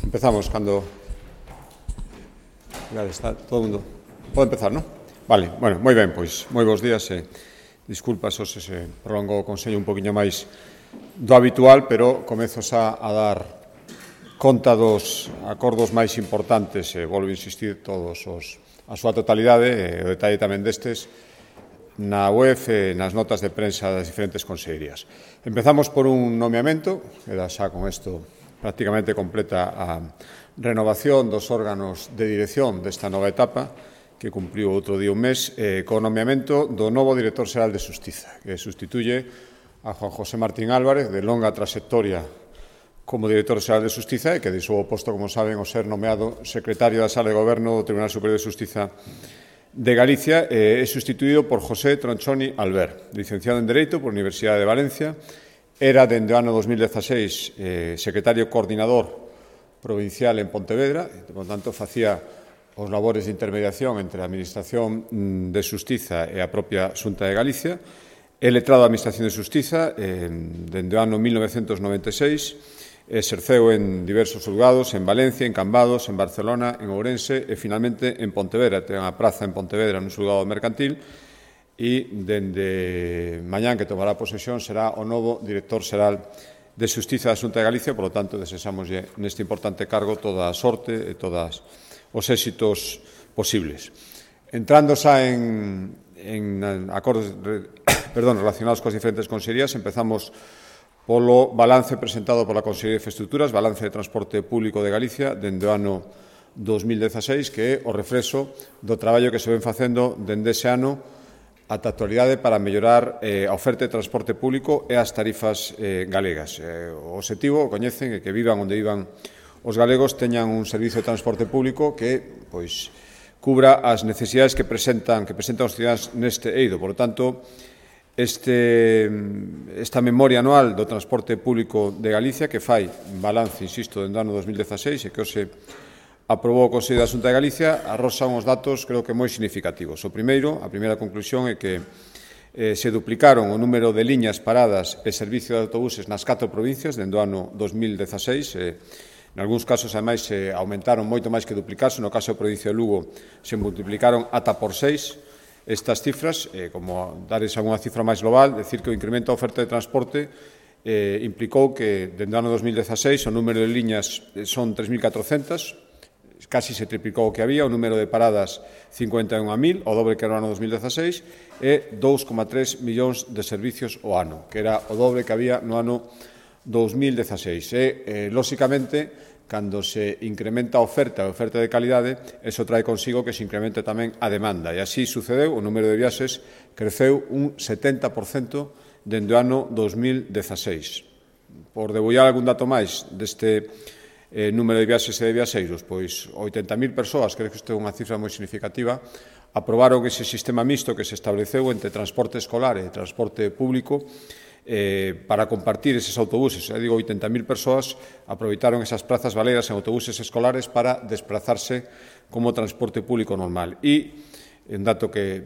Empezamos cando... Está todo o mundo... Pode empezar, non? Vale, bueno, moi ben, pois, moi bons días e disculpas se se prolongou o Consello un poquinho máis do habitual, pero comezo xa a dar conta dos acordos máis importantes e volvo a insistir todos a súa totalidade e o detalle tamén destes na web e nas notas de prensa das diferentes consellerías. Empezamos por un nomeamento, que da xa con isto prácticamente completa a renovación dos órganos de dirección desta nova etapa, que cumpriu outro día un mes, co nomeamento do novo director xeral de Xustiza, que sustituye a Juan José Martín Álvarez, de longa trayectoria como director xeral de Xustiza e que deixou o posto, como saben, o ser nomeado secretario da Sala de Goberno do Tribunal Superior de Xustiza de Galicia e é sustituído por José Tronchoni Albert, licenciado en Dereito por Universidade de Valencia. Era, dende o ano 2016, secretario coordinador provincial en Pontevedra, e, por tanto, facía os labores de intermediación entre a Administración de Xustiza e a propia Xunta de Galicia. É letrado da Administración de Xustiza dende o ano 1996, exerceu en diversos xulgados, en Valencia, en Cambados, en Barcelona, en Ourense e, finalmente, en Pontevedra. Ten a praza en Pontevedra nun xulgado mercantil e, dende mañán que tomará posesión, será o novo director xeral de Xustiza da Xunta de Galicia. Por lo tanto, desexámoslle neste importante cargo toda a sorte e todos os éxitos posibles. Entrando xa en acordos relacionados coas diferentes consellerías, empezamos polo balance presentado pola Consellería de Infraestructuras, balance de transporte público de Galicia, dende o ano 2016, que é o reflexo do traballo que se ven facendo dende ese ano ata a actualidade para mellorar a oferta de transporte público e as tarifas galegas. O obxectivo, coñecen, é que vivan onde vivan os galegos, teñan un servizo de transporte público que cubra as necesidades que presentan os cidadáns neste eido. Por lo tanto, esta memoria anual do transporte público de Galicia, que fai balance, insisto, dende o ano 2016 e que hoxe aprobou o Consello da Xunta de Galicia, arroxa uns datos, creo que moi significativos. A primeira conclusión é que se duplicaron o número de liñas paradas e servicio de autobuses nas 4 provincias dende o ano 2016. En algúns casos, ademais, se aumentaron moito máis que duplicarse. No caso da provincia de Lugo, se multiplicaron ata por 6 estas cifras. Como dares unha cifra máis global, decir que o incremento da oferta de transporte implicou que, dende o ano 2016, o número de liñas son 3.400, casi se triplicou o que había, o número de paradas 51.000, o dobre que era no ano 2016, e 2,3 millóns de servicios ao ano, que era o dobre que había no ano 2016. Lóxicamente, cando se incrementa a oferta de calidade, eso trae consigo que se incremente tamén a demanda. E así sucedeu, o número de viaxes creceu un 70% dende o ano 2016. Por debullar algún dato máis deste número de viaxes e de viaxeiros, pois 80.000 persoas, creo que isto é unha cifra moi significativa, aprobaron ese sistema mixto que se estableceu entre transporte escolar e transporte público para compartir eses autobuses. Digo, 80.000 persoas aproveitaron esas plazas baleras en autobuses escolares para desplazarse como transporte público normal. E, un dato que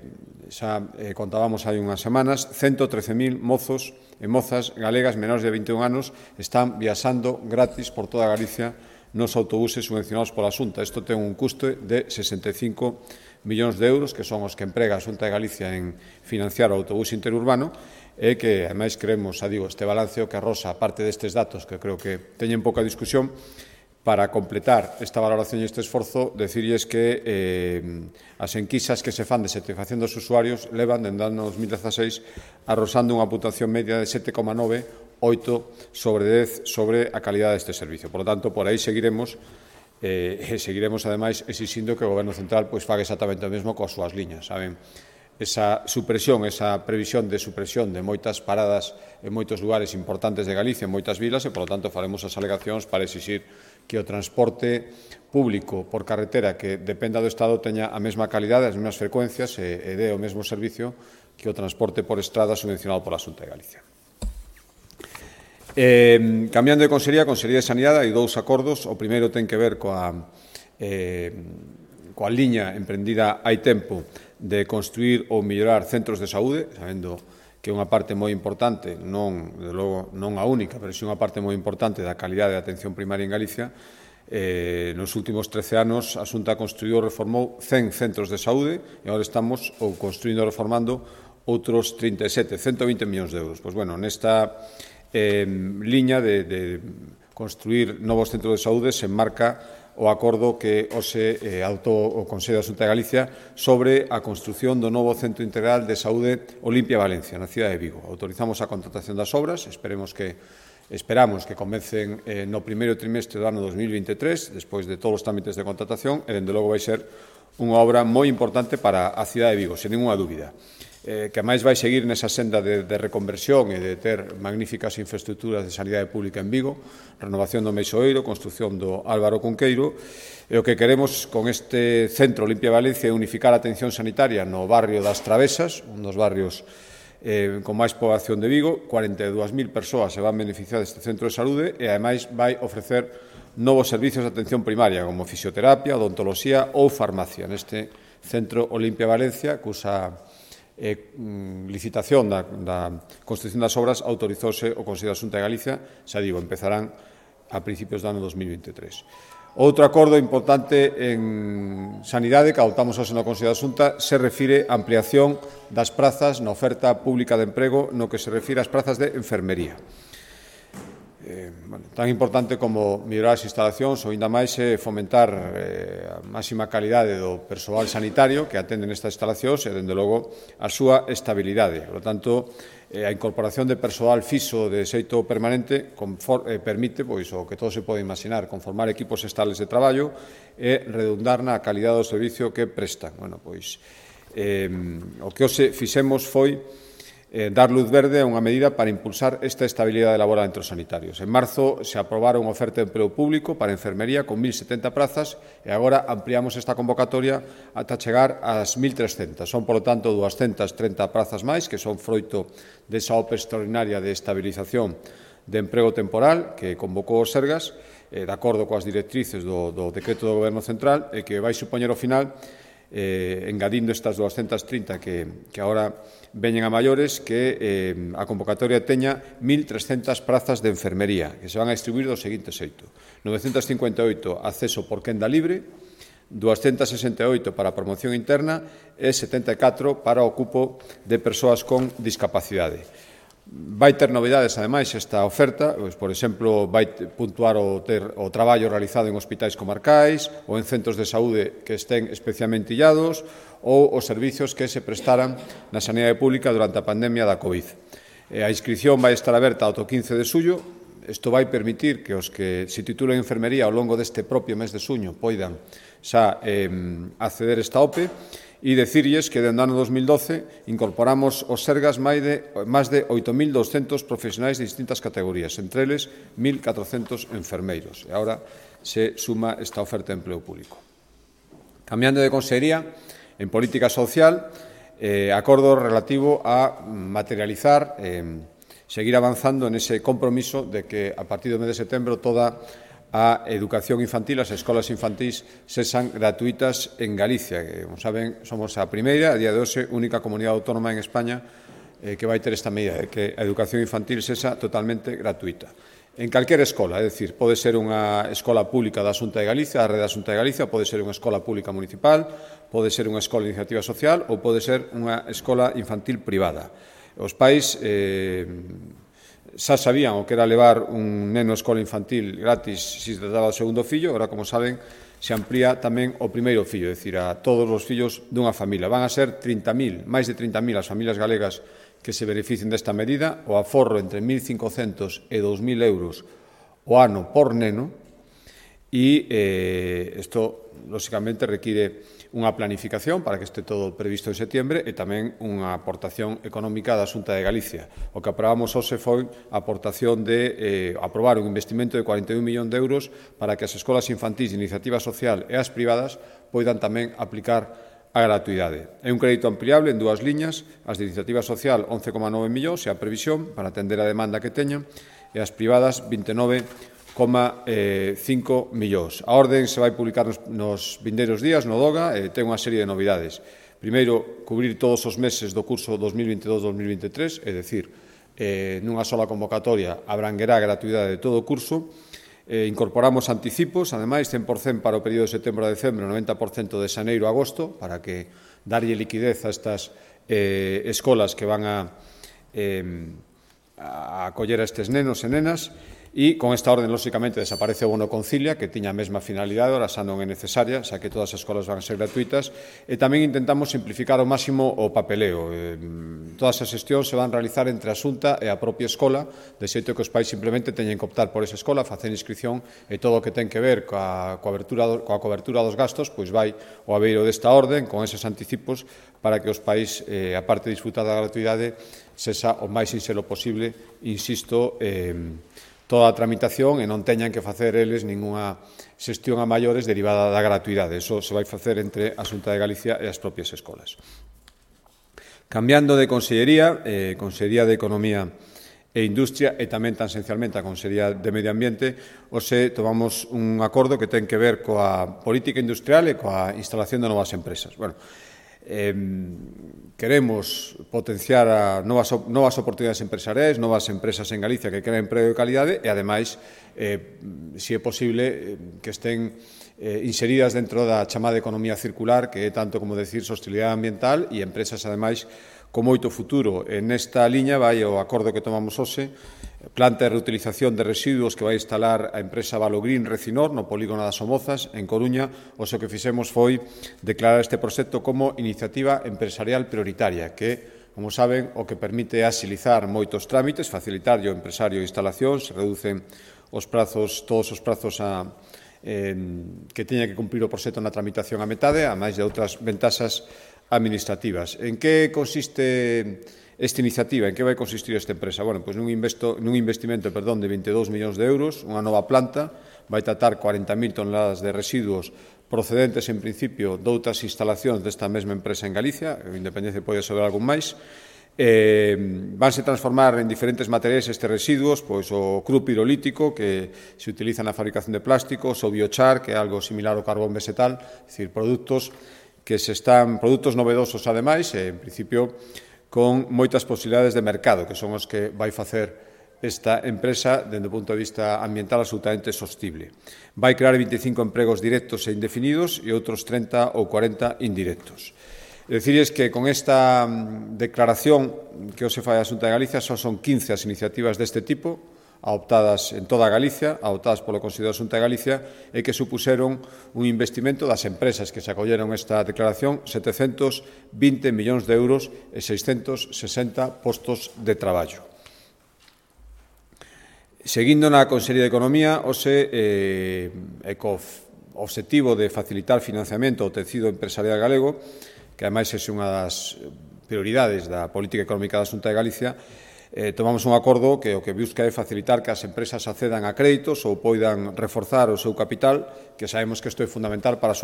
xa contábamos hai unhas semanas, 113.000 mozos e mozas galegas menores de 21 anos están viaxando gratis por toda Galicia nos autobuses subvencionados pola Xunta. Isto ten un custe de 65 millóns de euros, que son os que emprega a Xunta de Galicia en financiar o autobús interurbano, e que, ademais, creemos, este balance o que arroxa parte destes datos, que creo que teñen pouca discusión. Para completar esta valoración e este esforzo, decirles que as enquisas que se fan de satisfacción dos usuarios levan, dende o ano 2016, arrosando unha puntuación media de 7,9, 8 sobre 10 sobre a calidade deste servicio. Por lo tanto, por aí seguiremos seguiremos, ademais, exixindo que o Goberno Central faga exactamente o mesmo coas súas liñas. Saben, esa previsión de supresión de moitas paradas en moitos lugares importantes de Galicia, en moitas vilas, e, por lo tanto, faremos as alegacións para exixir que o transporte público por carretera que dependa do Estado teña a mesma calidade, as mesmas frecuencias e dé o mesmo servicio que o transporte por estrada subvencionado pola Xunta de Galicia. Cambiando de Consellería de Sanidade, hai 2 acordos. O primeiro ten que ver coa liña emprendida hai tempo de construir ou mellorar centros de saúde, sabendo que é unha parte moi importante, non a única, pero si unha parte moi importante da calidade da atención primaria en Galicia. Nos últimos 13 anos, a Xunta construiu e reformou 100 centros de saúde e agora estamos construindo e reformando outros 37, 120 millóns de euros. Pois, bueno, nesta liña de construir novos centros de saúde se enmarca o acordo que hoxe adoptou o Consello da Xunta de Galicia sobre a construción do novo Centro Integral de Saúde Olimpia Valencia, na cidade de Vigo. Autorizamos a contratación das obras, esperamos que comecen no primeiro trimestre do ano 2023, despois de todos os trámites de contratación, e, dende logo, vai ser unha obra moi importante para a cidade de Vigo, sen ninguna dúbida, que máis vai seguir nesa senda de reconversión e de ter magníficas infraestructuras de sanidade pública en Vigo, renovación do Meixoeiro, construción do Álvaro Cunqueiro, e o que queremos con este Centro Olimpia Valencia é unificar a atención sanitaria no barrio das Travesas, un dos barrios con máis poboación de Vigo. 42.000 persoas se van beneficiar deste centro de saúde e, ademais, vai ofrecer novos servizos de atención primaria, como fisioterapia, odontoloxía ou farmacia, neste Centro Olimpia Valencia, cusa licitación da construción das obras autorizouse o Consello da Xunta de Galicia, xa digo, empezarán a principios do ano 2023. Outro acordo importante en sanidade que adoptamos hoxe no Consello da Xunta se refire á ampliación das prazas na oferta pública de emprego no que se refire ás prazas de enfermería. Tan importante como mellorar as instalacións ou, ainda máis, fomentar a máxima calidade do persoal sanitario que atende nestas instalacións e, dende logo, a súa estabilidade. Por lo tanto, a incorporación de persoal fixo de xeito permanente permite, pois, o que todo se pode imaginar, conformar equipos estables de traballo e redundar na calidade do servicio que prestan. Bueno, pois, o que hoxe fixemos foi dar luz verde a unha medida para impulsar esta estabilidade laboral entre os sanitarios. En marzo se aprobaron unha oferta de emprego público para enfermería con 1.070 prazas e agora ampliamos esta convocatoria ata chegar ás 1.300. Son, polo tanto, 230 prazas máis, que son froito desa OPE extraordinaria de estabilización de emprego temporal que convocou o Sergas, de acordo coas directrices do decreto do Goberno Central, e que vai supoñer ao final, engadindo estas 230 que agora veñen a maiores, que a convocatoria teña 1.300 prazas de enfermería, que se van a distribuir do seguinte xeito: 958 acceso por quenda libre, 268 para a promoción interna e 74 para o cupo de persoas con discapacidade. Vai ter novidades, ademais, esta oferta, pois, por exemplo, vai puntuar o traballo realizado en hospitais comarcais ou en centros de saúde que estén especialmente illados ou os servizos que se prestaran na sanidade pública durante a pandemia da COVID. A inscripción vai estar aberta ata o 15 de xullo. Isto vai permitir que os que se titulen enfermería ao longo deste propio mes de xuño poidan xa acceder a esta OPE. E dicirlles que, dende o ano 2012, incorporamos os Sergas máis de 8.200 profesionais de distintas categorías, entre eles 1.400 enfermeiros. E agora se suma esta oferta de empleo público. Cambiando de consellería, en política social, acordo relativo a materializar, seguir avanzando en ese compromiso de que, a partir do mes de setembro, toda a educación infantil, as escolas infantís, sexan gratuitas en Galicia. Como saben, somos a primeira, a día de hoxe, única comunidade autónoma en España que vai ter esta medida, de que a educación infantil sexa totalmente gratuita. En calquera escola, é dicir, pode ser unha escola pública da Xunta de Galicia, a rede da Xunta de Galicia, pode ser unha escola pública municipal, pode ser unha escola de iniciativa social ou pode ser unha escola infantil privada. Os pais xa sabían o que era levar un neno a escola infantil gratis se trataba do segundo fillo, agora, como saben, se amplía tamén o primeiro fillo, é dicir, a todos os fillos dunha familia. Van a ser 30.000, máis de 30.000 as familias galegas que se beneficien desta medida, o aforro entre 1.500 e 2.000 euros o ano por neno, e isto, lóxicamente, require unha planificación para que este todo previsto en setembro e tamén unha aportación económica da Xunta de Galicia. O que aprobamos hoxe foi a aportación de aprobar un investimento de 41 millóns de euros para que as escolas infantís de iniciativa social e as privadas poidan tamén aplicar a gratuidade. É un crédito ampliable en dúas liñas, as de iniciativa social 11,9 millóns e a previsión para atender a demanda que teñan, e as privadas 29,5 millóns. A orde se vai publicar nos vindeiros días no DOGA e ten unha serie de novidades. Primeiro, cubrir todos os meses do curso 2022-2023, é dicir, nunha sola convocatoria abranguerá a gratuidade de todo o curso. Incorporamos anticipos, ademais, 100% para o período de setembro a decembro, 90% de xaneiro a agosto, para que darlle liquidez a estas escolas que van a acoller a estes nenos e nenas. E con esta orden, lóxicamente, desaparece o bono Concilia, que tiña a mesma finalidade, ora xa non é necesaria, xa que todas as escolas van a ser gratuitas, e tamén intentamos simplificar ao máximo o papeleo. Todas as xestións se van a realizar entre a Xunta e a propia escola, de xeito que os pais simplemente teñen que optar por esa escola, facer inscripción, e todo o que ten que ver coa cobertura dos gastos, pois vai ao abeiro desta orden, con eses anticipos, para que os pais, aparte de disfrutar da gratuidade, sexa o máis sinxelo posible, insisto, toda a tramitación e non teñan que facer eles ningunha xestión a maiores derivada da gratuidade. Eso se vai facer entre a Xunta de Galicia e as propias escolas. Cambiando de consellería, Consellería de Economía e Industria e tamén tan esencialmente a Consellería de Medio Ambiente, hoxe tomamos un acordo que ten que ver coa política industrial e coa instalación de novas empresas. Queremos potenciar a novas oportunidades empresariais, novas empresas en Galicia que creen emprego de calidade e, ademais, se é posible, que estén inseridas dentro da chamada economía circular, que é tanto como decir sostenibilidade ambiental e empresas, ademais, con moito futuro. En esta liña vai o acordo que tomamos hoxe, planta de reutilización de residuos que vai instalar a empresa Valogreen Recinor no polígono das Somozas, en Coruña. O que fixemos foi declarar este proxecto como iniciativa empresarial prioritaria, que, como saben, o que permite axilizar moitos trámites, facilitar ao empresario instalacións, se reducen todos os prazos que teña que cumprir o proxecto na tramitación a metade, a máis de outras ventaxas administrativas. En que consiste esta iniciativa? En que vai consistir esta empresa? Pois nun investimento de 22 millóns de euros, unha nova planta, vai tratar 40.000 toneladas de residuos procedentes, en principio, doutras instalacións desta mesma empresa en Galicia, independencia pode saber algún máis. Vanse transformar en diferentes materiais estes residuos, pois o cru pirolítico, que se utiliza na fabricación de plásticos, o biochar, que é algo similar ao carbón vegetal, é dicir, produtos novedosos, ademais, e, en principio, con moitas posibilidades de mercado, que son os que vai facer esta empresa, dende o punto de vista ambiental, absolutamente sostible. Vai crear 25 empregos directos e indefinidos e outros 30 ou 40 indirectos. Decirles que con esta declaración que hoxe fai a Xunta de Galicia só son 15 as iniciativas deste tipo, adoptadas en toda Galicia, adoptadas polo Consello da Xunta de Galicia, e que supuseron un investimento das empresas que se acolleron esta declaración, 720 millóns de euros e 660 postos de traballo. Seguindo na Consellería de Economía, hoxe, co obxectivo de facilitar financiamento ao tecido empresarial galego, que ademais é unha das prioridades da política económica da Xunta de Galicia, tomamos un acordo que o que busca é facilitar que as empresas accedan a créditos ou poidan reforzar o seu capital, que sabemos que isto é fundamental para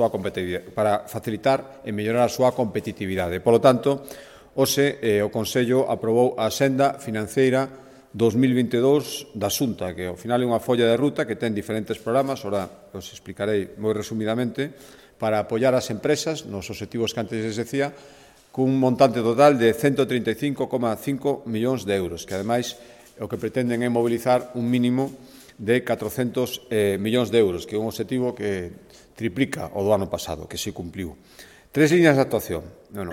facilitar e mellorar a súa competitividade. Por lo tanto, hoxe o Consello aprobou a Senda Financeira 2022 da Xunta, que ao final é unha folla de ruta que ten diferentes programas, ora os explicarei moi resumidamente, para apoiar as empresas nos obxectivos que antes les decía, cun montante total de 135,5 millóns de euros, que ademais o que pretenden é mobilizar un mínimo de 400 millóns de euros, que é un obxectivo que triplica o do ano pasado, que se cumpliu. 3 líneas de actuación.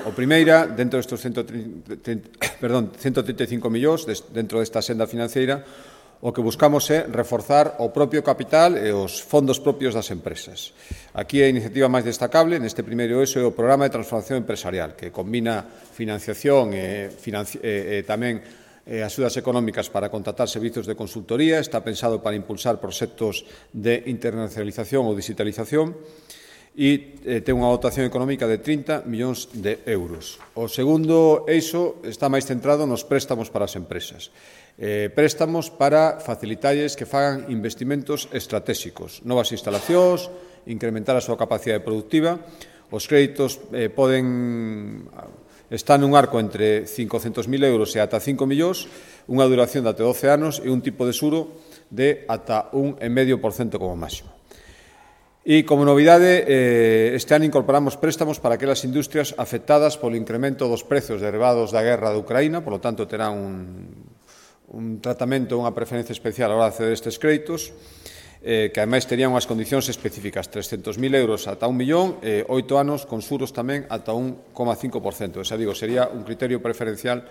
O primeira, dentro destes 135 millóns, dentro desta senda financeira, o que buscamos é reforzar o propio capital e os fondos propios das empresas. Aquí a iniciativa máis destacable neste primeiro eixo é o Programa de Transformación Empresarial, que combina financiación e tamén axudas económicas para contratar servizos de consultoría, está pensado para impulsar proxectos de internacionalización ou digitalización e ten unha dotación económica de 30 millóns de euros. O segundo eixo está máis centrado nos préstamos para as empresas. Préstamos para facilitarlles que fagan investimentos estratégicos, novas instalacións, incrementar a súa capacidade productiva. Os créditos están nun arco entre 500.000 euros e ata 5 millóns, unha duración de até 12 anos e un tipo de xuro de ata 1,5% como máximo. E, como novidade, este ano incorporamos préstamos para aquelas industrias afectadas polo incremento dos prezos derivados da guerra de Ucraína, polo tanto, terán un tratamento, unha preferencia especial a hora de acceder a estes créditos. que ademais terían unhas condicións específicas, 300.000 euros ata 1 millón, 8 anos con xuros tamén ata 1,5%. Xa digo, sería un criterio preferencial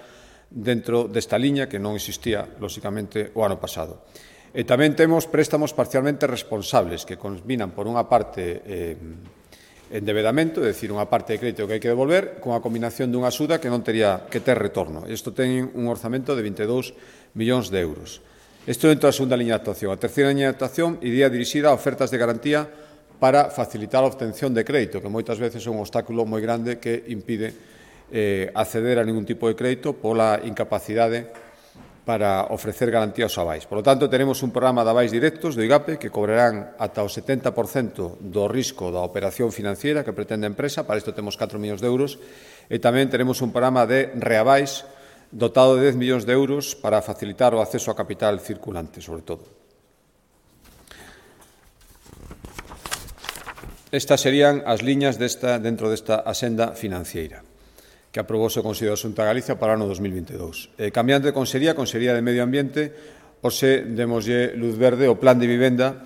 dentro desta liña que non existía, lóxicamente, o ano pasado. E tamén temos préstamos parcialmente responsables que combinan, por unha parte, endevedamento, é dicir, unha parte de crédito que hai que devolver, con a combinación dunha axuda que non tería que ter retorno. Isto ten un orzamento de 22 millóns de euros. Isto dentro da segunda liña de actuación. A terceira liña de actuación iría dirixida a ofertas de garantía para facilitar a obtención de crédito, que moitas veces é un obstáculo moi grande que impide acceder a ningún tipo de crédito pola incapacidade para ofrecer garantía aos avais. Por lo tanto, tenemos un programa de avais directos do IGAPE que cobrarán ata o 70% do risco da operación financiera que pretende a empresa. Para isto temos 4 millóns de euros. E tamén tenemos un programa de reavais dotado de 10 millóns de euros para facilitar o acceso a capital circulante, sobre todo. Estas serían as liñas dentro desta axenda financiera que aprobouse o Consello da Xunta de Galicia para o ano 2022. Cambiando de Consellería de Medio Ambiente, hoxe demoslle luz verde ao Plan de Vivenda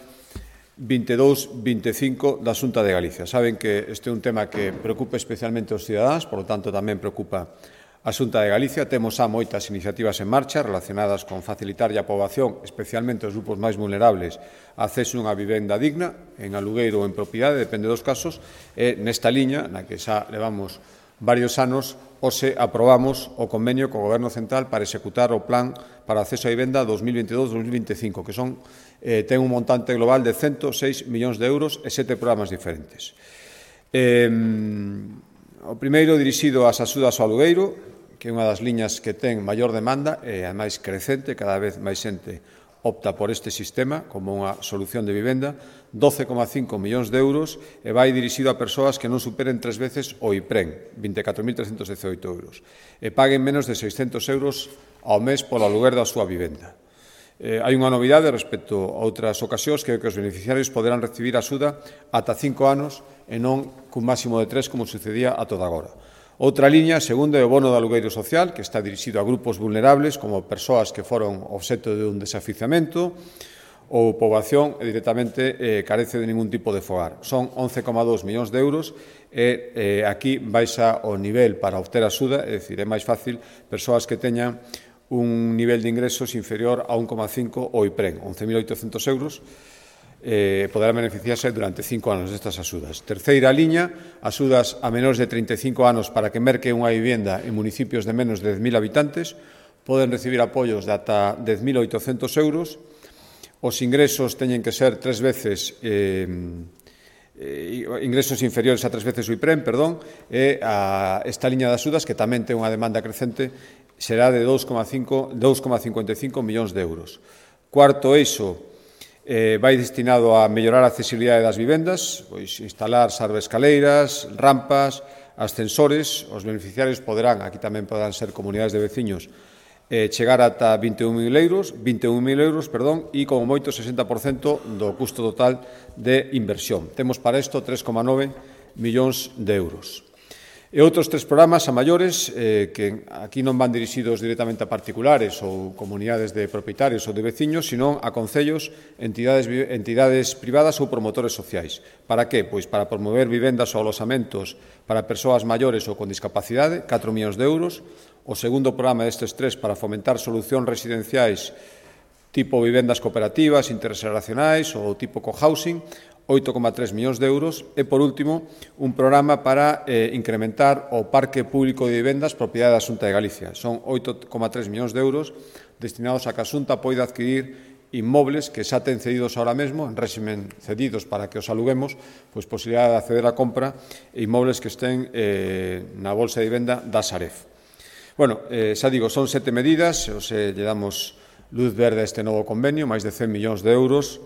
22-25 da Xunta de Galicia. Saben que este é un tema que preocupa especialmente aos cidadáns, por lo tanto tamén preocupa a Xunta de Galicia. Temos xa moitas iniciativas en marcha relacionadas con facilitarlle á poboación, especialmente aos grupos máis vulnerables, acceso a unha vivenda digna, en alugueiro ou en propiedade, depende dos casos, e nesta liña, na que xa levamos varios anos, hoxe aprobamos o convenio co Goberno Central para executar o Plan para o acceso á vivenda 2022-2025, que ten un montante global de 106 millóns de euros e 7 programas diferentes. O primeiro dirixido ás axudas ao alugueiro, que é unha das liñas que ten maior demanda e, ademais, crecente, cada vez máis xente opta por este sistema como unha solución de vivenda, 12,5 millóns de euros e vai dirixido a persoas que non superen 3 veces o IPREN, 24.318 euros, e paguen menos de 600 euros ao mes polo aluguer da súa vivenda. Hai unha novidade respecto a outras ocasións, que os beneficiarios poderán recibir axuda ata 5 anos e non cun máximo de 3 como sucedía a toda agora. Outra liña, segunda, é o bono de alugueiro social, que está dirixido a grupos vulnerables, como persoas que foron obxecto de un desafiuzamento ou poboación e directamente carece de ningún tipo de fogar. Son 11,2 millóns de euros e aquí baixa o nivel para obter axuda, é dicir, é máis fácil persoas que teñan un nivel de ingresos inferior a 1,5 o IPREN, 11.800 euros, poderán beneficiarse durante 5 anos destas axudas. Terceira liña, axudas a menores de 35 anos para que merque unha vivenda en municipios de menos de 10.000 habitantes, poden recibir apoios de ata 10.800 euros. Os ingresos teñen que ser 3 veces ingresos inferiores a 3 veces o IPREN, e esta liña de axudas, que tamén ten unha demanda crecente, será de 2,55 millóns de euros. Cuarto eixo, vai destinado a mellorar a accesibilidade das vivendas, pois instalar escaleiras, rampas, ascensores. Os beneficiarios poderán, aquí tamén poderán ser comunidades de veciños, chegar ata 21.000 euros, e como moito 60% do custo total de inversión. Temos para isto 3,9 millóns de euros. E outros 3 programas a maiores que aquí non van dirixidos directamente a particulares ou comunidades de propietarios ou de veciños, sino a concellos, entidades privadas ou promotores sociais. Para que? Pois para promover vivendas ou alosamentos para persoas maiores ou con discapacidade, 4 millóns de euros. O segundo programa destes 3 para fomentar solucións residenciais tipo vivendas cooperativas, interxeracionais ou tipo cohousing, 8,3 millóns de euros. E, por último, un programa para incrementar o parque público de vivendas propiedade da Xunta de Galicia. Son 8,3 millóns de euros destinados a que a Xunta poida adquirir inmobles que xa ten cedidos ahora mesmo, en réximen cedidos para que os aluguemos, pois posibilidade de acceder á compra e inmobles que estén na bolsa de vivenda da Saref. Bueno, xa digo, son 7 medidas, lle damos luz verde a este novo convenio, máis de 100 millóns de euros,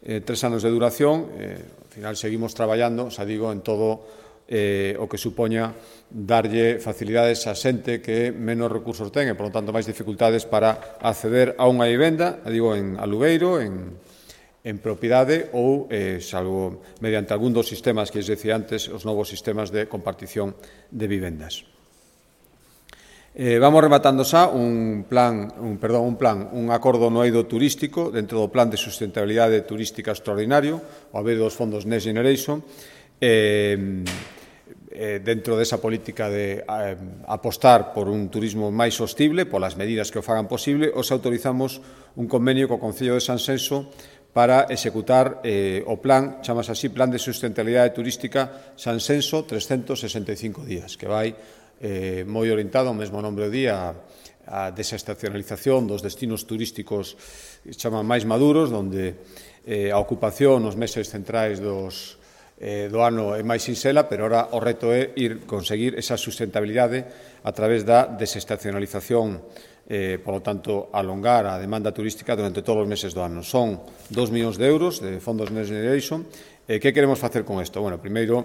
3 anos de duración. Ao final seguimos traballando, xa digo, en todo o que supoña darlle facilidades a xente que menos recursos ten e, por lo tanto, máis dificultades para acceder a unha vivenda, digo, en alugueiro, en propiedade ou, salvo mediante algún dos sistemas que lles decía antes, os novos sistemas de compartición de vivendas. Vamos rematando xa un acordo no eido turístico dentro do Plan de Sustentabilidade Turística Extraordinario, o haber dos fondos Next Generation, dentro desa política de apostar por un turismo máis sostible, polas medidas que o fagan posible, os autorizamos un convenio co Concello de Sanxenxo para executar o plan, chamase así, Plan de Sustentabilidade Turística Sanxenxo 365 días, que vai moi orientado ao mesmo nombre do día a desestacionalización dos destinos turísticos que chaman máis maduros, onde a ocupación nos meses centrais do ano é máis sinxela, pero ora o reto é conseguir esa sustentabilidade a través da desestacionalización, polo tanto, alongar a demanda turística durante todos os meses do ano. Son 2 millóns de euros de fondos Next Generation. Que queremos facer con isto? Bueno, primeiro,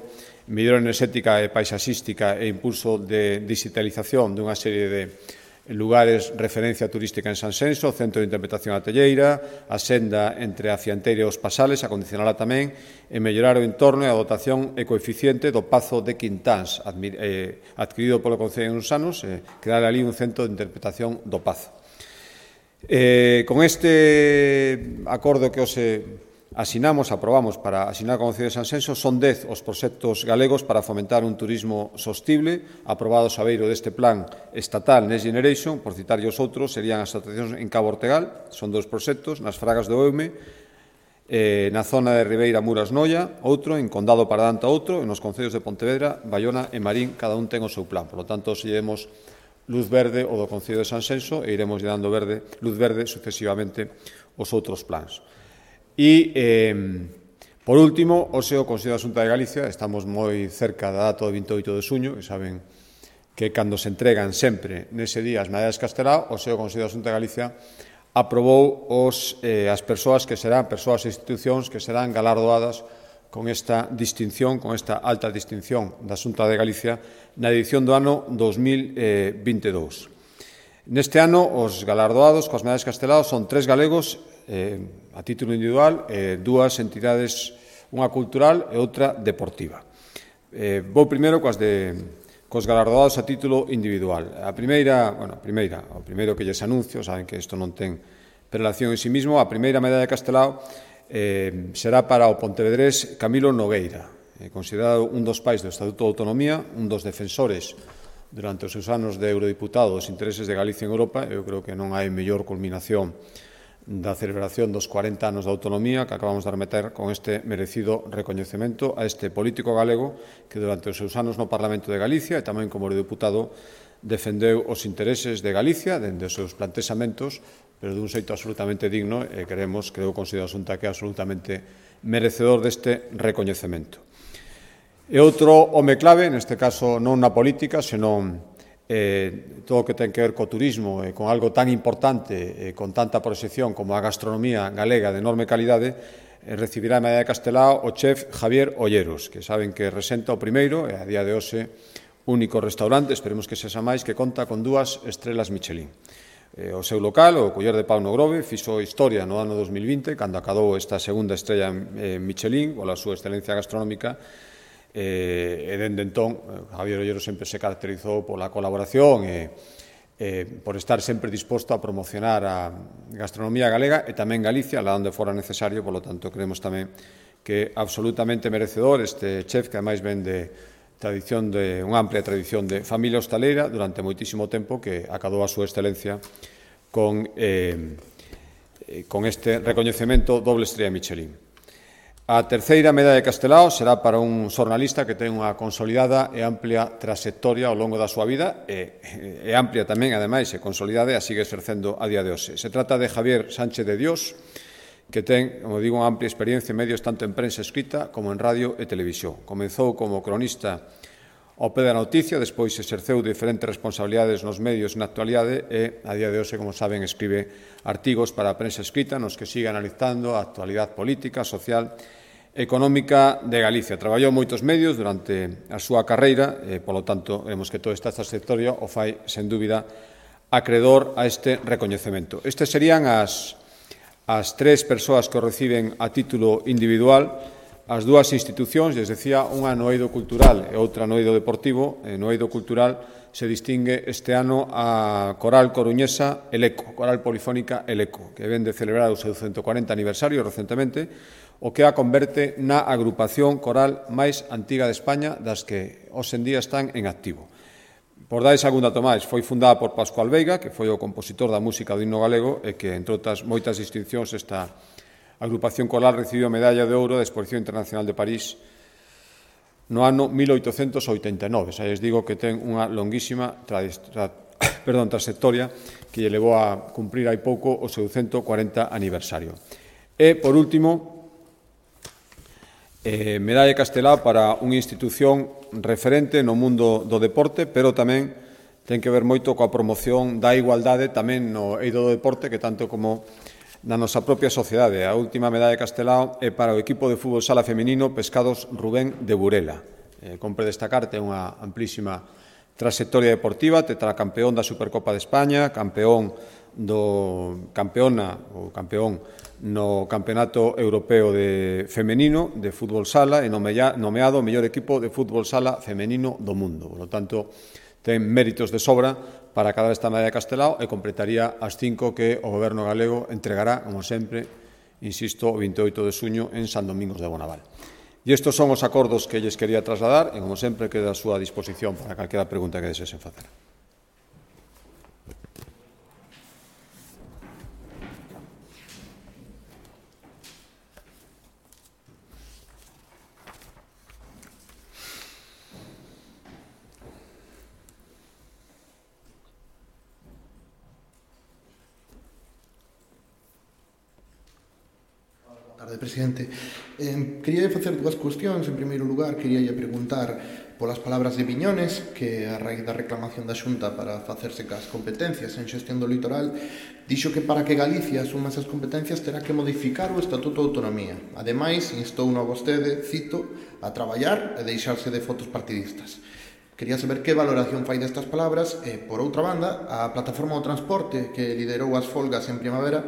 mellora enerxética e paisaxística e impulso de digitalización dunha serie de lugares referencia turística en Sanxenxo, o Centro de Interpretación Atelleira, a senda entre a Cianteira e os Pasales, acondicionala tamén, e mellorar o entorno e a dotación e coeficiente do Pazo de Quintáns, adquirido polo Concello en uns anos, crear ali un centro de interpretación do Pazo. Con este acordo que os aprobamos para asinar con o Concello de Sanxenxo, son 10 os proxectos galegos para fomentar un turismo sostible, aprobados a beiro deste plan estatal Next Generation. Por citar os outros, serían as atraccións en Cabo Ortegal, son 2 proxectos, nas Fragas do Eume, na zona de Ribeira Muras Noia, outro, en Condado Paradanta outro, e nos concellos de Pontevedra, Baiona e Marín, cada un ten o seu plan. Por lo tanto, se llevemos luz verde o do Concello de Sanxenxo e iremos dando luz verde sucesivamente os outros plans. E, por último, hoxe o Consello da Xunta de Galicia, estamos moi cerca da data do 28 de xuño, que saben que cando se entregan sempre nese día as medallas Castelao, hoxe o Consello da Xunta de Galicia aprobou as persoas e institucións que serán galardoadas con esta distinción, con esta alta distinción da Xunta de Galicia na edición do ano 2022. Neste ano, os galardoados coas medallas Castelao son 3 galegos a título individual, 2 entidades, unha cultural e outra deportiva. Vou primeiro cos galardoados a título individual. O primeiro que lles anuncio, saben que isto non ten relación en sí mismo, a primeira medalla de Castelao será para o pontevedrés Camilo Nogueira, considerado un dos pais do Estatuto de Autonomía, un dos defensores durante os seus anos de eurodiputado dos intereses de Galicia en Europa. Eu creo que non hai mellor culminación da celebración dos 40 anos da autonomía que acabamos de remeter con este merecido recoñecemento a este político galego que durante os seus anos no Parlamento de Galicia e tamén como eurodiputado defendeu os intereses de Galicia dende os seus plantexamentos, pero dun xeito absolutamente digno, e creo o Consello da Xunta que é absolutamente merecedor deste recoñecemento. E outro home clave, neste caso non na política, senón todo o que ten que ver co turismo e con algo tan importante e con tanta proxección como a gastronomía galega de enorme calidade, recibirá a medalla de Castelao o chef Javier Olleros, que saben que resenta o primeiro e a día de hoxe único restaurante, esperemos que sexa máis, que conta con 2 estrelas Michelin. O seu local, o Culler de Pau no Grove, fixo historia no ano 2020, cando acadou esta segunda estrella Michelin, pola súa excelencia gastronómica, e dende entón Javier Ollero sempre se caracterizou pola colaboración e por estar sempre disposto a promocionar a gastronomía galega e tamén Galicia, lá onde fora necesario. Por lo tanto, creemos tamén que é absolutamente merecedor este chef, que ademais ven de unha amplia tradición de familia hostaleira durante moitísimo tempo, que acadou a súa excelencia con este recoñecemento doble estrella Michelin. A terceira medalla de Castelao será para un xornalista que ten unha consolidada e amplia trayectoria ao longo da súa vida e amplia tamén, ademais, e consolidada, e a sigue exercendo a día de hoxe. Se trata de Javier Sánchez de Dios, que ten, como digo, unha amplia experiencia en medios tanto en prensa escrita como en radio e televisión. Comezou como cronista ao pé da noticia, despois exerceu diferentes responsabilidades nos medios na actualidade e, a día de hoxe, como saben, escribe artigos para a prensa escrita nos que sigue analizando a actualidade política, social económica de Galicia. Traballou moitos medios durante a súa carreira e, polo tanto, vemos que toda esta trayectoria o fai, sen dúbida, acredor a este recoñecemento. Estes serían as 3 persoas que o reciben a título individual. As 2 institucións, les decía, unha no eido cultural e outra no eido deportivo. No eido cultural se distingue este ano a coral coruñesa El Eco, coral polifónica El Eco, que ven de celebrar o seu 140 aniversario recentemente, o que a converte na agrupación coral máis antiga de España das que hoxe en día están en activo. Por dar algún dato máis, foi fundada por Pascual Veiga, que foi o compositor da música do himno galego e que, entre outras moitas distincións, esta agrupación coral recibiu a medalla de ouro da Exposición Internacional de París no ano 1889. Xa lles digo que ten unha longuísima trayectoria que lle levou a cumprir hai pouco o seu 140 aniversario. E, por último, medalla Castelao para unha institución referente no mundo do deporte, pero tamén ten que ver moito coa promoción da igualdade tamén no eido do deporte, que tanto como na nosa propia sociedade. A última medalla de Castelao é para o equipo de fútbol sala feminino Pescados Rubén de Burela. Compre destacar, ten unha amplísima trayectoria deportiva, tetracampeón da Supercopa de España, campeón no Campeonato Europeo de Femenino de fútbol sala e nomeado o mellor equipo de fútbol sala femenino do mundo. Por lo tanto, ten méritos de sobra para acadar esta medalla de Castelao e completaría as 5 que o Goberno galego entregará, como sempre, insisto, o 28 de xuño en San Domingos de Bonaval. E estes son os acordos que lles quería trasladar e, como sempre, queda a súa disposición para calquera pregunta que desesen facer. Presidente, quería facer dúas cuestións. En primeiro lugar, quería preguntar polas palabras de Viñones, que a raíz da reclamación da Xunta para facerse cas competencias en xestión do litoral, dixo que para que Galicia asuma esas competencias terá que modificar o Estatuto de Autonomía. Ademais, instou a vostede, cito, a traballar e deixarse de fotos partidistas. Quería saber que valoración fai destas palabras e, por outra banda, a Plataforma do Transporte, que liderou as folgas en primavera,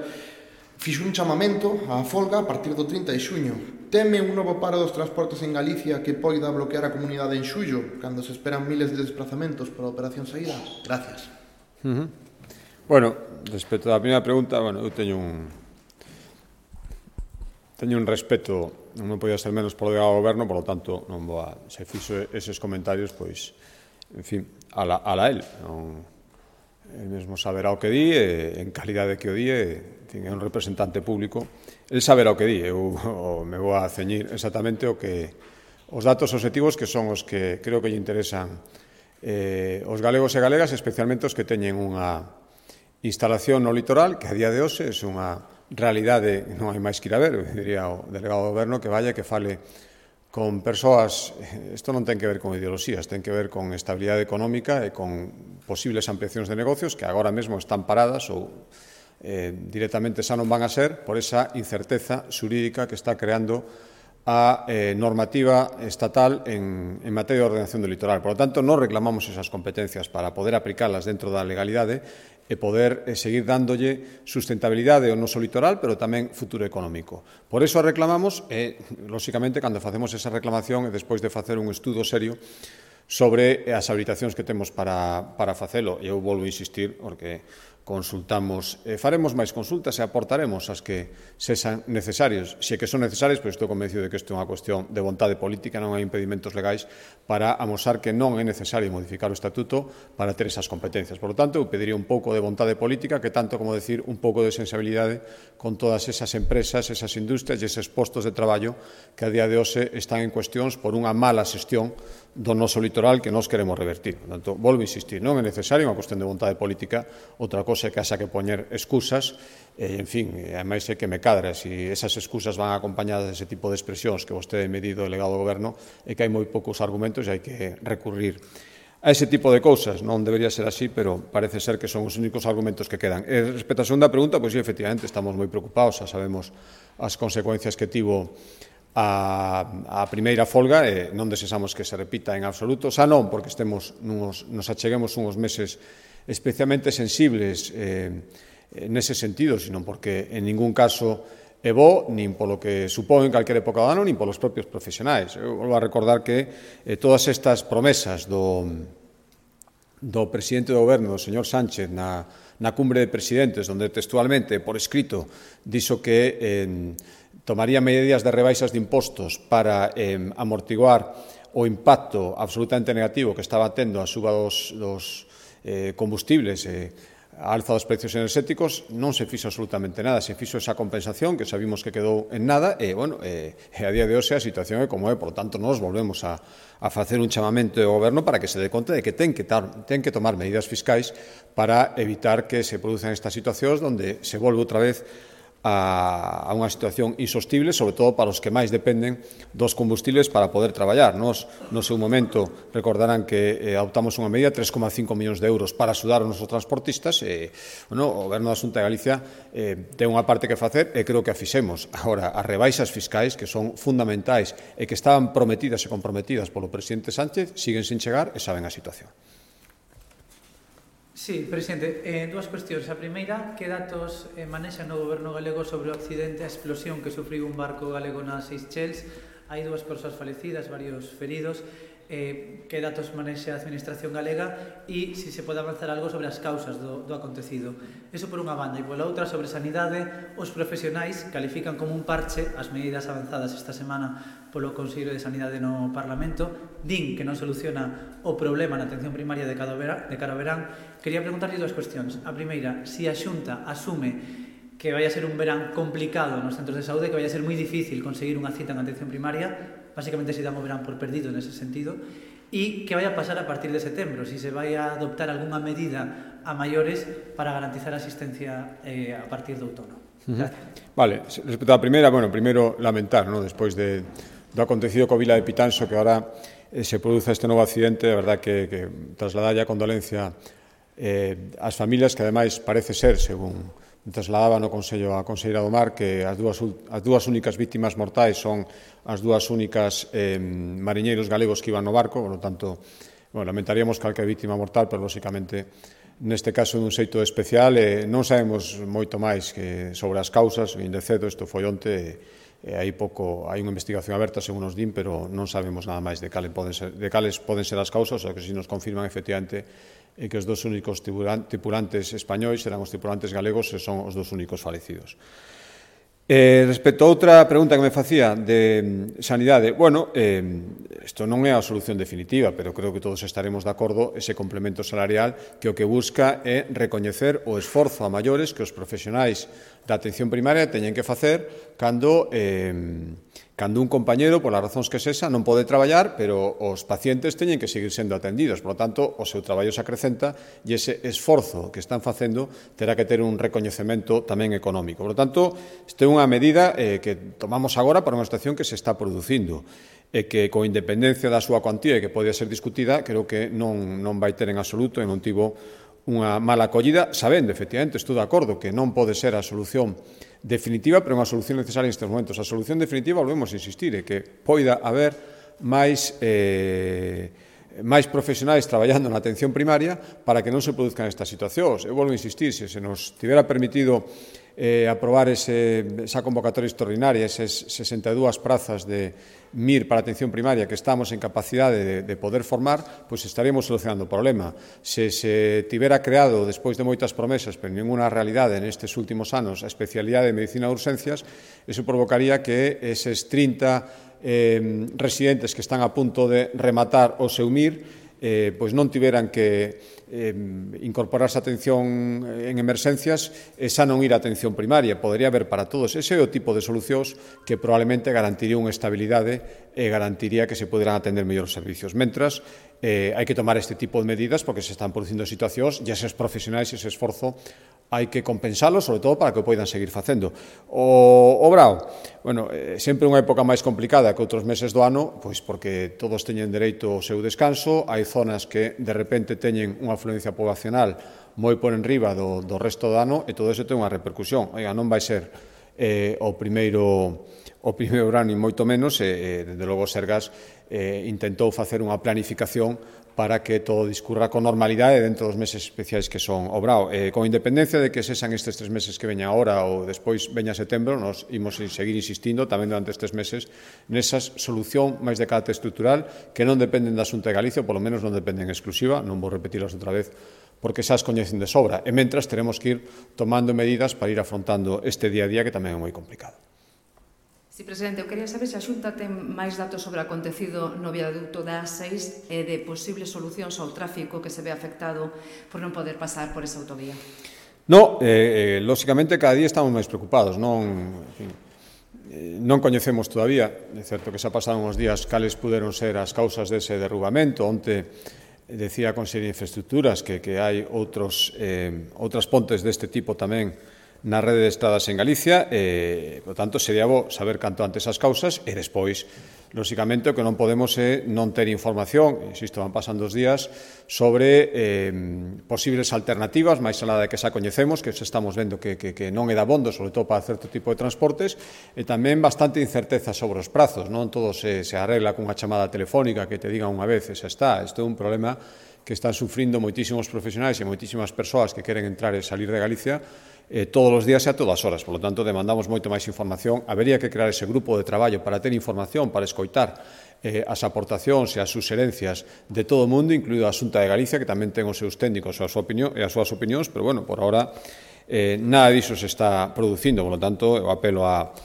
fixo un chamamento á folga a partir do 30 de xuño. Teme un novo paro dos transportes en Galicia que poida bloquear a comunidade en xullo, cando se esperan miles de desplazamentos para a operación saída? Gracias. Bueno, respecto á primeira pregunta, eu teño un respeto, non podía ser menos polo delegado do Goberno, por lo tanto, non vou a, se fixo eses comentarios, pois, en fin, ala el. El mesmo saberá o que di, en calidade que o di, é un representante público, el saberá o que di. Eu me vou a ceñir exactamente os datos objetivos que son os que creo que lle interesan os galegos e galegas, especialmente os que teñen unha instalación no litoral, que a día de hoxe é unha realidade, non hai máis que ir a ver, diría o delegado do Goberno, que vaya, que fale con persoas. Isto non ten que ver con ideoloxías, ten que ver con estabilidade económica e con posibles ampliacións de negocios que agora mesmo están paradas ou directamente xa non van a ser por esa incerteza xurídica que está creando a normativa estatal en materia de ordenación do litoral. Por lo tanto, non reclamamos esas competencias para poder aplicalas dentro da legalidade e poder seguir dándolle sustentabilidade ao noso litoral, pero tamén futuro económico. Por eso a reclamamos e, lóxicamente, cando facemos esa reclamación e despois de facer un estudo serio sobre as habilitacións que temos para facelo, eu volvo a insistir, porque consultamos, faremos máis consultas e aportaremos as que sexan necesarios. Se que son necesarios, pois estou convencido de que isto é unha cuestión de vontade política, non hai impedimentos legais para amosar que non é necesario modificar o Estatuto para ter esas competencias. Por lo tanto, eu pediría un pouco de vontade política, que tanto como decir un pouco de sensibilidade con todas esas empresas, esas industrias e eses postos de traballo que a día de hoxe están en cuestións por unha mala xestión do noso litoral que nós queremos revertir. Por tanto, volvo a insistir, non é necesario unha cuestión de vontade política, outra cosa é que haxa que poñer excusas, en fin, ademais é que me cadra, se esas excusas van acompañadas dese tipo de expresións que vostede medido o delegado do Goberno, é que hai moi poucos argumentos e hai que recurrir a ese tipo de cousas. Non debería ser así, pero parece ser que son os únicos argumentos que quedan. E respecto á segunda pregunta, pois sí, efectivamente, estamos moi preocupados, xa sabemos as consecuencias que tivo a primeira folga e non desexamos que se repita en absoluto, xa non porque nos acheguemos uns meses especialmente sensibles nese sentido, sino porque en ningún caso é bo, nin polo que supón en calquera época do ano, nin polos propios profesionais. Eu volvo a recordar que todas estas promesas do do presidente do goberno, do señor Sánchez, na cumbre de presidentes, onde textualmente, por escrito, dixo que tomaría medidas de rebaixas de impostos para amortiguar o impacto absolutamente negativo que estaba tendo a suba dos combustibles, a alza dos precios enerxéticos, non se fixo absolutamente nada, se fixo esa compensación que sabimos que quedou en nada e, a día de hoxe a situación é como é, por lo tanto, nós volvemos a facer un chamamento ao goberno para que se dé conta de que ten que tomar medidas fiscais para evitar que se produzan estas situacións onde se volve outra vez a unha situación insostible, sobre todo para os que máis dependen dos combustibles para poder traballar. Nos, no seu momento, recordarán que adoptamos unha medida, 3,5 millóns de euros para axudar os nosos transportistas e, o Goberno da Xunta de Galicia ten unha parte que facer e creo que a fixemos. Agora, as rebaixas fiscais, que son fundamentais e que estaban prometidas e comprometidas polo presidente Sánchez, siguen sin chegar e saben a situación. Sí, presidente, dúas cuestións. A primeira, que datos manexa no goberno galego sobre o accidente, a explosión que sufriu un barco galego nas Seychelles? Hai 2 persoas falecidas, varios feridos. Que datos manexa a administración galega e se pode avanzar algo sobre as causas do acontecido. Eso por unha banda. E pola outra, sobre sanidade, os profesionais califican como un parche as medidas avanzadas esta semana polo Consello de Sanidade no Parlamento. Din que non soluciona o problema na atención primaria de cara ao verán. Quería preguntarlle 2 cuestións. A primeira, se a Xunta asume que vai a ser un verán complicado nos centros de saúde, que vai a ser moi difícil conseguir unha cita en atención primaria, básicamente se dá o verán por perdido nese sentido, e que vai a pasar a partir de setembro, se vai a adoptar algunha medida a maiores para garantizar a asistencia a partir do outono. Vale, respecto á primeira, primeiro lamentar, despois do acontecido co Vila de Pitanxo, que agora se produza este novo accidente, a verdad que trasladar a condolencia ás familias, que ademais parece ser, según trasladaba no Consello a Conselleira do Mar, que as dúas únicas vítimas mortais son as dúas únicas mariñeiros galegos que iban no barco, por lo tanto, lamentaríamos calquera vítima mortal, pero, lóxicamente, neste caso, dun xeito especial, non sabemos moito máis que sobre as causas, vin de cedo, isto foi onte, hai unha investigación aberta, según nos din, pero non sabemos nada máis de cales poden ser as causas, o que si nos confirman, efectivamente, e que os 2 únicos tripulantes españois serán os tripulantes galegos e son os 2 únicos falecidos. Respecto a outra pregunta que me facía de sanidade, isto non é a solución definitiva, pero creo que todos estaremos de acordo ese complemento salarial que o que busca é recoñecer o esforzo a maiores que os profesionais da atención primaria teñen que facer cando un compañeiro, polas razóns que sexa, non pode traballar, pero os pacientes teñen que seguir sendo atendidos. Por lo tanto, o seu traballo se acrecenta e ese esforzo que están facendo terá que ter un recoñecemento tamén económico. Por lo tanto, isto é unha medida que tomamos agora para unha situación que se está producindo e que, con independencia da súa cuantía e que pode ser discutida, creo que non vai ter en absoluto e non tivo unha mala acollida, sabendo, efectivamente, estou de acordo, que non pode ser a solución definitiva, pero unha solución necesaria nestes momentos. A solución definitiva, volvemos a insistir, é que poida haber máis profesionais traballando na atención primaria para que non se produzcan estas situacións. Eu volvo a insistir, se nos tivera permitido aprobar esa convocatoria extraordinaria, esas 62 prazas de MIR para a atención primaria que estamos en capacidade de poder formar, pois estaríamos solucionando o problema. Se tivera creado, despois de moitas promesas, pero ninguna realidade nestes últimos anos, a especialidade de medicina de urxencias, eso provocaría que eses 30 residentes que están a punto de rematar o seu MIR pois non tiveran que incorporarse a atención en emerxencias e xa non ir a atención primaria. Podería haber para todos. Ese é o tipo de solucións que probablemente garantiría unha estabilidade e garantiría que se poderán atender mellor os servicios. Mentras, hai que tomar este tipo de medidas porque se están producindo situacións e eses profesionais, ese esforzo, hai que compensalo, sobre todo para que o poidan seguir facendo. O Brao, sempre unha época máis complicada que outros meses do ano, pois porque todos teñen dereito ao seu descanso, hai zonas que de repente teñen unha afluencia poblacional moi por enriba do resto do ano e todo iso ten unha repercusión. Non vai ser o primeiro verano, ni moito menos, desde logo Sergas intentou facer unha planificación para que todo discurra con normalidade dentro dos meses especiais que son o brao. Con independencia de que sexan estes 3 meses que veñan agora ou despois veña setembro, nos imos seguir insistindo tamén durante estes meses nesa solución máis de carácter estrutural que non dependen da Xunta de Galicia, ou polo menos non dependen en exclusiva, non vou repetilas outra vez, porque xa as coñecen de sobra. E mentras teremos que ir tomando medidas para ir afrontando este día a día que tamén é moi complicado. Sí, presidente, eu quería saber se a Xunta ten máis datos sobre o acontecido no viaducto da A6 e de posibles solucións ao tráfico que se ve afectado por non poder pasar por esa autovía. No, lóxicamente cada día estamos máis preocupados, non coñecemos todavía, é certo que xa pasaron uns días cales puderon ser as causas dese derrubamento. Onte decía a Consellería de Infraestructuras que hai outras pontes deste tipo tamén na rede de estradas en Galicia, por tanto, sería bo saber canto antes as causas e despois, lóxicamente, o que non podemos é non ter información, insisto, van pasando os días, sobre posibles alternativas, máis alá de que xa coñecemos, que xa estamos vendo que non é dabondo, sobre todo para certo tipo de transportes, e tamén bastante incerteza sobre os prazos, non todo se arregla cunha chamada telefónica que te digan unha vez e xa está. Isto é un problema que están sufrindo moitísimos profesionais e moitísimas persoas que queren entrar e salir de Galicia todos os días e a todas horas. Por lo tanto, demandamos moito máis información. Habería que crear ese grupo de traballo para ter información, para escoitar as aportacións e as suxerencias de todo o mundo, incluído a Xunta de Galicia, que tamén ten os seus técnicos e as súas opinións, pero, bueno, por ahora nada diso se está producindo. Por lo tanto, eu apelo ao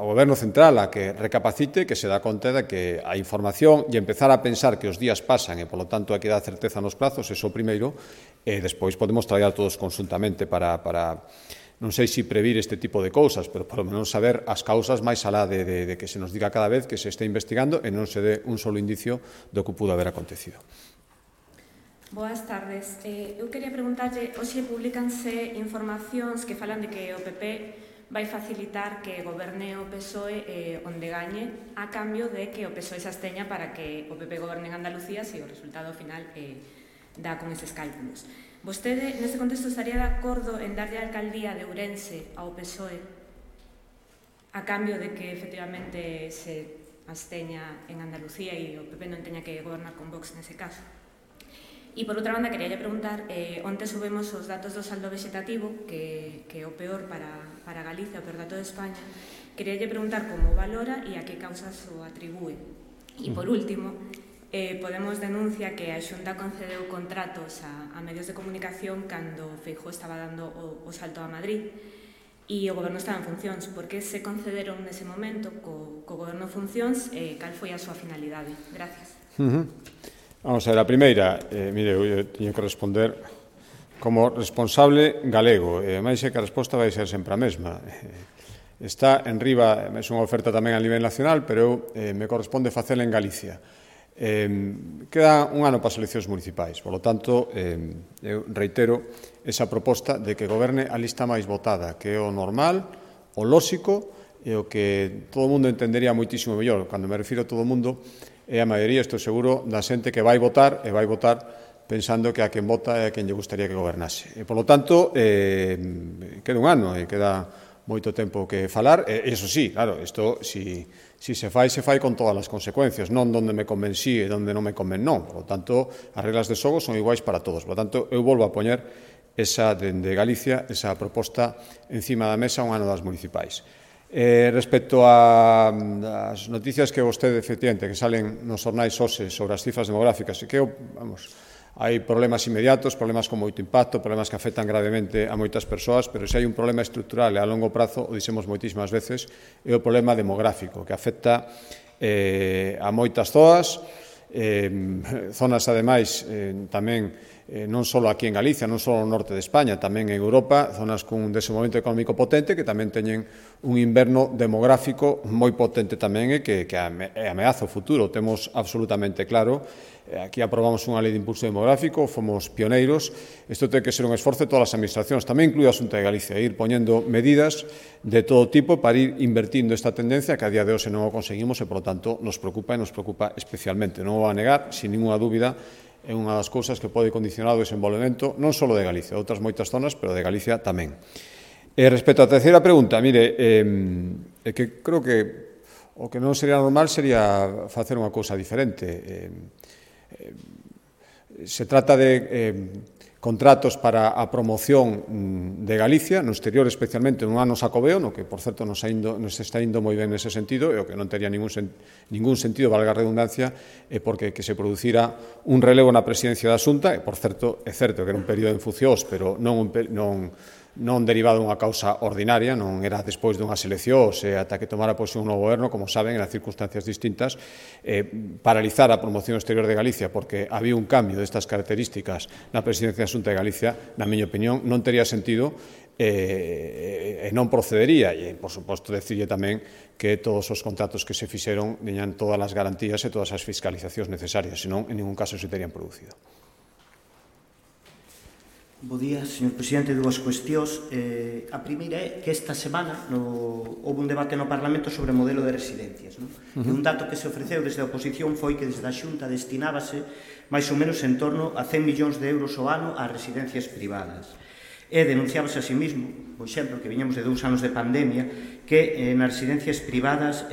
Goberno Central a que recapacite, que se dá conta de que a información e empezar a pensar que os días pasan e, polo tanto, hai que dar certeza nos prazos, eso primeiro, e despois podemos traballar todos conjuntamente para non sei se previr este tipo de cousas, pero polo menos saber as causas máis alá de que se nos diga cada vez que se este investigando e non se dé un solo indicio do que pudo haber acontecido. Boas tardes. Eu quería preguntarlle, hoxe publicanse informacións que falan de que o PP vai facilitar que goberne o PSOE onde gañe a cambio de que o PSOE se absteña para que o PP goberne en Andalucía se o resultado final dá con eses cálculos. Vostede, neste contexto, estaría de acordo en darlle a alcaldía de Ourense ao PSOE a cambio de que, efectivamente, se absteña en Andalucía e o PP non teña que gobernar con Vox nese caso? E, por outra banda, quería preguntar, onte subimos os datos do saldo vegetativo, que é o peor para Galicia, o peor dato de España. Quería preguntar como valora e a que causas o atribúe. E, por último, Podemos denuncia que a Xunta concedeu contratos a medios de comunicación cando Feijóo estaba dando o salto a Madrid e o goberno estaba en funcións. Por que se concederon nese momento co goberno en funcións e cal foi a súa finalidade? Gracias. Vamos a ver, a primeira, mire, eu teño que responder como responsable galego, e máis é que a resposta vai ser sempre a mesma. Está en riba, é unha oferta tamén a nivel nacional, pero eu me corresponde facela en Galicia. Queda un ano para as eleccións municipais, por lo tanto, eu reitero esa proposta de que goberne a lista máis votada, que é o normal, o lóxico e o que todo o mundo entendería moitísimo mellor. Cando me refiro a todo o mundo, é a maioría, estou seguro, da xente que vai votar e vai votar pensando que a quen vota é a quen lle gustaría que gobernase. E, por lo tanto, queda un ano e queda moito tempo que falar, e iso sí, claro, isto si se fai con todas as consecuencias, non donde me conven sí e donde non me conven non. Por lo tanto, as reglas de xogo son iguais para todos. Por lo tanto, eu volvo a poñer esa dende Galicia, esa proposta encima da mesa un ano das municipais. Respecto ás noticias que vostede, efectivamente, que salen nos xornais hoxe sobre as cifras demográficas, que hai problemas inmediatos, problemas con moito impacto, problemas que afectan gravemente a moitas persoas, pero se hai un problema estrutural e a longo prazo, o dixemos moitísimas veces, é o problema demográfico, que afecta a moitas zonas, ademais, tamén non só aquí en Galicia, non só no norte de España, tamén en Europa, zonas con un desenvolvemento económico potente que tamén teñen un inverno demográfico moi potente tamén e que ameaza o futuro. Temos absolutamente claro. Aquí aprobamos unha lei de impulso demográfico, fomos pioneiros. Isto ten que ser un esforzo de todas as administracións, tamén incluído a Xunta de Galicia, ir poñendo medidas de todo tipo para ir invertindo esta tendencia que a día de hoxe non o conseguimos e, por lo tanto, nos preocupa especialmente. Non o vou a negar, sin ninguna dúbida, é unha das cousas que pode condicionar o desenvolvemento non só de Galicia, de outras moitas zonas, pero de Galicia tamén. Respecto á terceira pregunta, mire, que creo que O que non sería normal sería facer unha cousa diferente. Se trata de contratos para a promoción de Galicia, no exterior especialmente no ano Xacobeo, no que, por certo, nos está indo moi ben nese sentido, e o que non tería ningún sentido, valga a redundancia, é porque que se producira un relevo na presidencia da Xunta, e, por certo, é certo que era un período infuciós, pero non derivado dunha causa ordinaria, non era despois dunhas eleccións e ata que tomara posición un novo goberno, como saben, en circunstancias distintas, paralizar a promoción exterior de Galicia porque había un cambio destas características na presidencia da Xunta de Galicia, na miña opinión, non tería sentido e non procedería. E, por suposto, decirlle tamén que todos os contratos que se fixeron teñan todas as garantías e todas as fiscalizacións necesarias, senón, en ningún caso se terían producido. Bo día, señor presidente. Dúas cuestións. A primeira é que esta semana houve un debate no Parlamento sobre o modelo de residencias. E un dato que se ofreceu desde a oposición foi que desde a Xunta destinábase máis ou menos en torno a 100 millóns de euros ao ano ás residencias privadas. E denunciábase a sí mismo, por exemplo, que viñamos de 2 anos de pandemia, que nas residencias privadas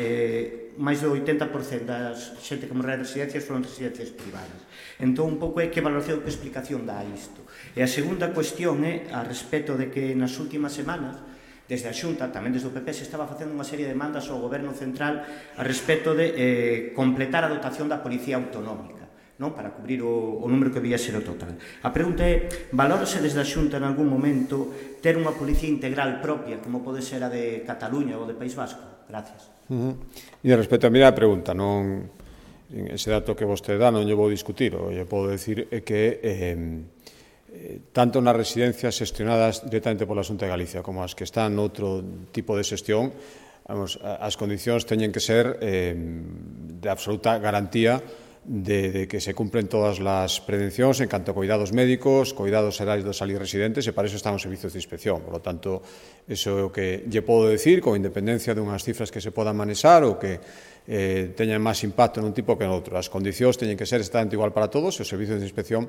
máis do 80% das xente que morreu en residencias foron residencias privadas. Entón, un pouco é que valoración, que explicación dá isto. E a segunda cuestión é a respecto de que nas últimas semanas, desde a Xunta, tamén desde o PP, se estaba facendo unha serie de demandas ao Goberno Central a respecto de completar a dotación da Policía Autonómica, non? Para cubrir o número que debía ser o total. A pregunta é, valórase desde a Xunta en algún momento ter unha policía integral propia, como pode ser a de Cataluña ou de País Vasco? Gracias. E respecto a mirar a pregunta, non ese dato que vostede dá non lle vou discutir, o lle podo decir é que tanto nas residencias xestionadas directamente pola Xunta de Galicia como as que están noutro tipo de xestión, as condicións teñen que ser de absoluta garantía de que se cumplen todas as prevencións en canto a cuidados médicos, cuidados xerais dos ali residentes, e para iso están os servizos de inspección. Por lo tanto, iso é o que lle podo decir, con independencia dunhas cifras que se podan manexar ou que teñan máis impacto nun tipo que en outro. As condicións teñen que ser exactamente igual para todos, e os servizos de inspección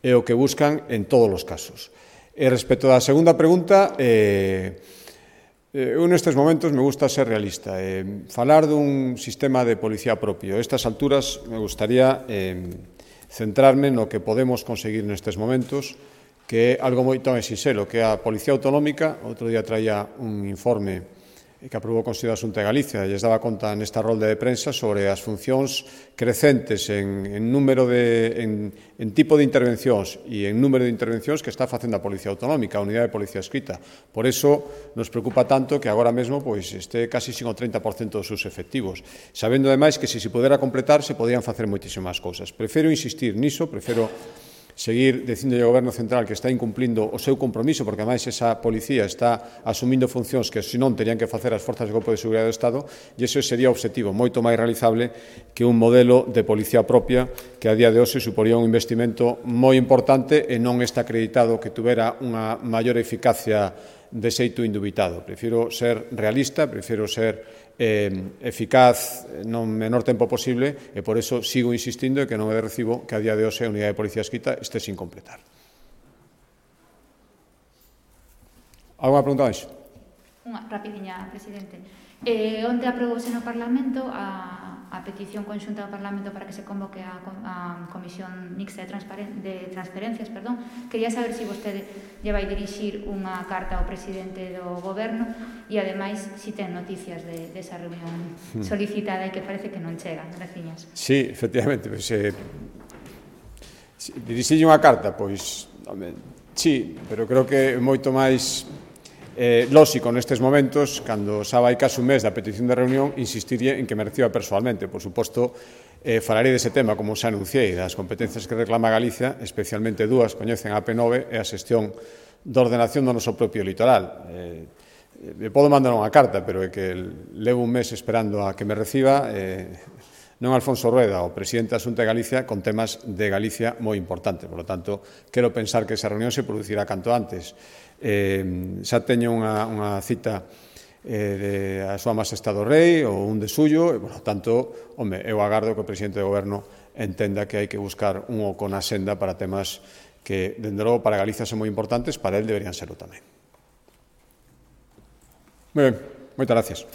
é o que buscan en todos os casos. E respecto da segunda pregunta, eu nestes momentos me gusta ser realista, falar dun sistema de policía propio. A estas alturas me gustaría centrarme no que podemos conseguir nestes momentos, que é algo moito máis sinxelo, que é a Policía Autonómica. Outro día traía un informe que aprobou o Consello da Xunta de Galicia e lles daba conta nesta rolda de prensa sobre as funcións crecentes en tipo de intervencións e en número de intervencións que está facendo a Policía Autonómica, a Unidade de Policía Escrita. Por eso nos preocupa tanto que agora mesmo este casi sin o 30% dos seus efectivos, sabendo ademais que se pudera completar se podían facer moitísimas cousas. Prefiro insistir niso, prefiro seguir dicindo ao Goberno Central que está incumplindo o seu compromiso, porque ademais esa policía está asumindo funcións que senón terían que facer as forzas de Corpo de Seguridade do Estado, e ese sería o obxectivo moito máis realizable que un modelo de policía propia que a día de hoxe suporía un investimento moi importante e non está acreditado que tuvera unha maior eficacia de xeito indubitado. Prefiro ser realista, prefiro ser eficaz no menor tempo posible, e por eso sigo insistindo en que non é de recibo que a día de hoxe a Unidade de Policía Escrita este sin completar. Alguna pregunta máis? Unha rapidiña, presidente. Onde aprobouse no Parlamento a petición conxunta do Parlamento para que se convoque a Comisión Mixta de Transferencias. Quería saber se vostede lle vai dirixir unha carta ao presidente do Goberno e, ademais, se ten noticias desa reunión solicitada e que parece que non chega. Graciñas. Sí, efectivamente. Dirixirlle unha carta, pois, sí, pero creo que é moito máis lóxico nestes momentos, cando xa vai case un mes da petición de reunión, insistirlle en que me reciba persoalmente. Por suposto, falarei dese tema, como xa anunciei, das competencias que reclama Galicia, especialmente dúas, coñecen a P9 e a xestión de ordenación do noso propio litoral. Me podo mandar unha carta, pero é que levo un mes esperando a que me reciba non Alfonso Rueda, o presidente da Xunta de Galicia, con temas de Galicia moi importantes. Por lo tanto, quero pensar que esa reunión se producirá canto antes. Xa teño unha cita a súa Majestade o Rei ou un de suyo, e, por lo tanto, eu agardo que o presidente do Goberno entenda que hai que buscar un oco na senda para temas que, dende logo, para Galicia son moi importantes, para él deberían serlo tamén. Moi ben, moitas gracias.